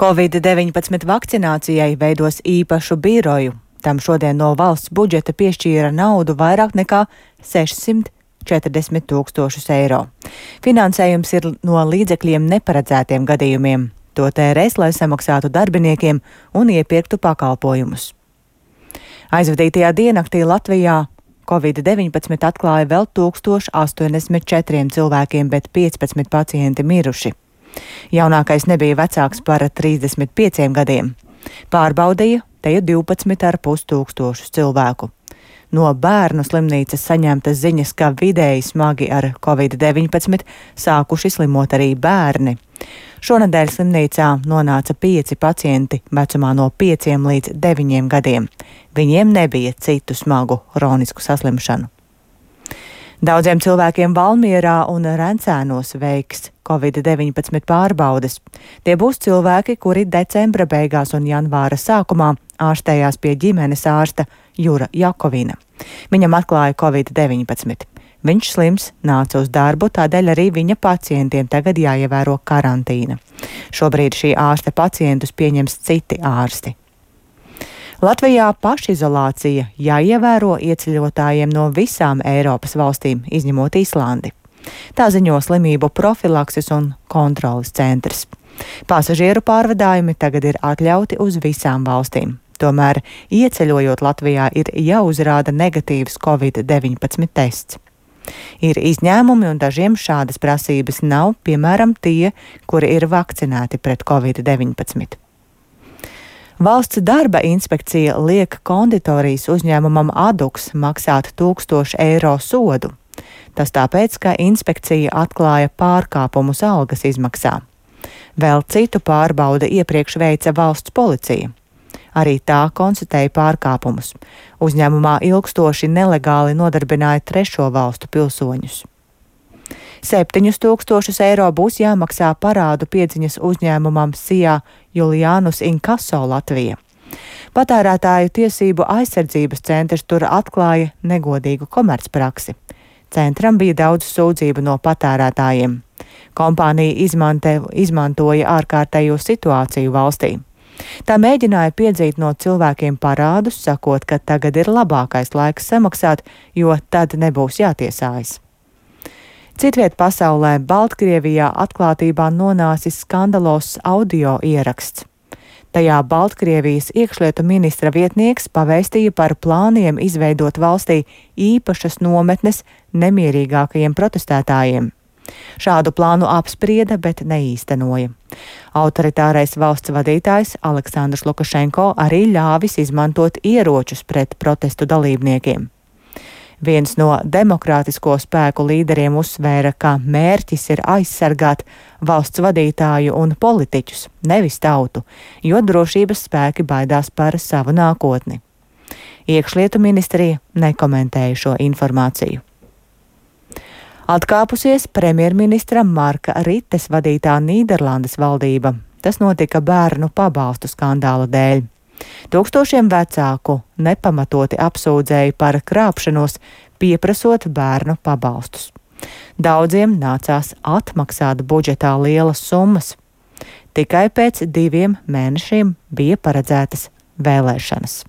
Covid-19 vakcinācijai veidos īpašu biroju. Tam šodien no valsts budžeta piešķīra naudu vairāk nekā 640 000 eiro. Finansējums ir no līdzekļiem neparedzētiem gadījumiem. To tērēs, lai samaksātu darbiniekiem un iepirktu pakalpojumus. Aizvadītajā diennaktī Latvijā Covid-19 atklāja vēl 1084 cilvēkiem, bet 15 pacienti miruši. Jaunākais nebija vecāks par 35 gadiem. Pārbaudīja te 12,5 tūkstošus cilvēku. No bērnu slimnīcas saņemtas ziņas, ka vidēji smagi ar Covid-19 sākuši slimot arī bērni. Šonadēļ slimnīcā nonāca 5 pacienti vecumā no 5 līdz 9 gadiem. Viņiem nebija citu smagu hronisku saslimšanu. Daudziem cilvēkiem Valmierā un Rencēnos veiks Covid-19 pārbaudes. Tie būs cilvēki, kuri decembra beigās un janvāra sākumā ārstējās pie ģimenes ārsta Jura Jakovina. Viņam atklāja Covid-19. Viņš slims, nāca uz darbu, tādēļ arī viņa pacientiem tagad jāievēro karantīna. Šobrīd šī ārsta pacientus pieņems citi ārsti. Latvijā pašizolācija jāievēro ieceļotājiem no visām Eiropas valstīm, izņemot Islandi. Tā ziņo slimību profilakses un kontroles centrs. Pasažieru pārvadājumi tagad ir atļauti uz visām valstīm. Tomēr, ieceļojot Latvijā, ir jāuzrāda negatīvs Covid-19 tests. Ir izņēmumi un dažiem šādas prasības nav, piemēram, tie, kuri ir vakcinēti pret Covid-19. Valsts darba inspekcija liek konditorijas uzņēmumam Aduks maksāt 1000 eiro sodu. Tas tāpēc, ka inspekcija atklāja pārkāpumus algas izmaksā. Vēl citu pārbaudi iepriekš veica valsts policija. Arī tā konstatēja pārkāpumus. Uzņēmumā ilgstoši nelegāli nodarbināja trešo valstu pilsoņus. 7000 eiro būs jāmaksā parādu piedziņas uzņēmumam Sijā Julianus Inkaso Latvija. Patērētāju tiesību aizsardzības centrs tur atklāja negodīgu komercpraksi. Centram bija daudz sūdzību no patērētājiem. Kompānija izmantoja ārkārtējo situāciju valstī. Tā mēģināja piedzīt no cilvēkiem parādus, sakot, ka tagad ir labākais laiks samaksāt, jo tad nebūs jātiesājas. Citviet pasaulē Baltkrievijā atklātībā nonācis skandalos audio ieraksts. Tajā Baltkrievijas iekšlietu ministra vietnieks pavēstīja par plāniem izveidot valstī īpašas nometnes nemierīgākajiem protestētājiem. Šādu plānu apsprieda, bet neīstenoja. Autoritārais valsts vadītājs Aleksandrs Lukašenko arī ļāvis izmantot ieročus pret protestu dalībniekiem. Viens no demokrātisko spēku līderiem uzsvēra, ka mērķis ir aizsargāt valsts vadītāju un politiķus, nevis tautu, jo drošības spēki baidās par savu nākotni. Iekšlietu ministrija nekomentēja šo informāciju. Atkāpusies premjerministra Marka Rites vadītā Nīderlandes valdība. Tas notika bērnu pabalstu skandāla dēļ. Tūkstošiem vecāku nepamatoti apsūdzēja par krāpšanos, pieprasot bērnu pabalstus. Daudziem nācās atmaksāt budžetā lielas summas. Tikai pēc 2 mēnešiem bija paredzētas vēlēšanas.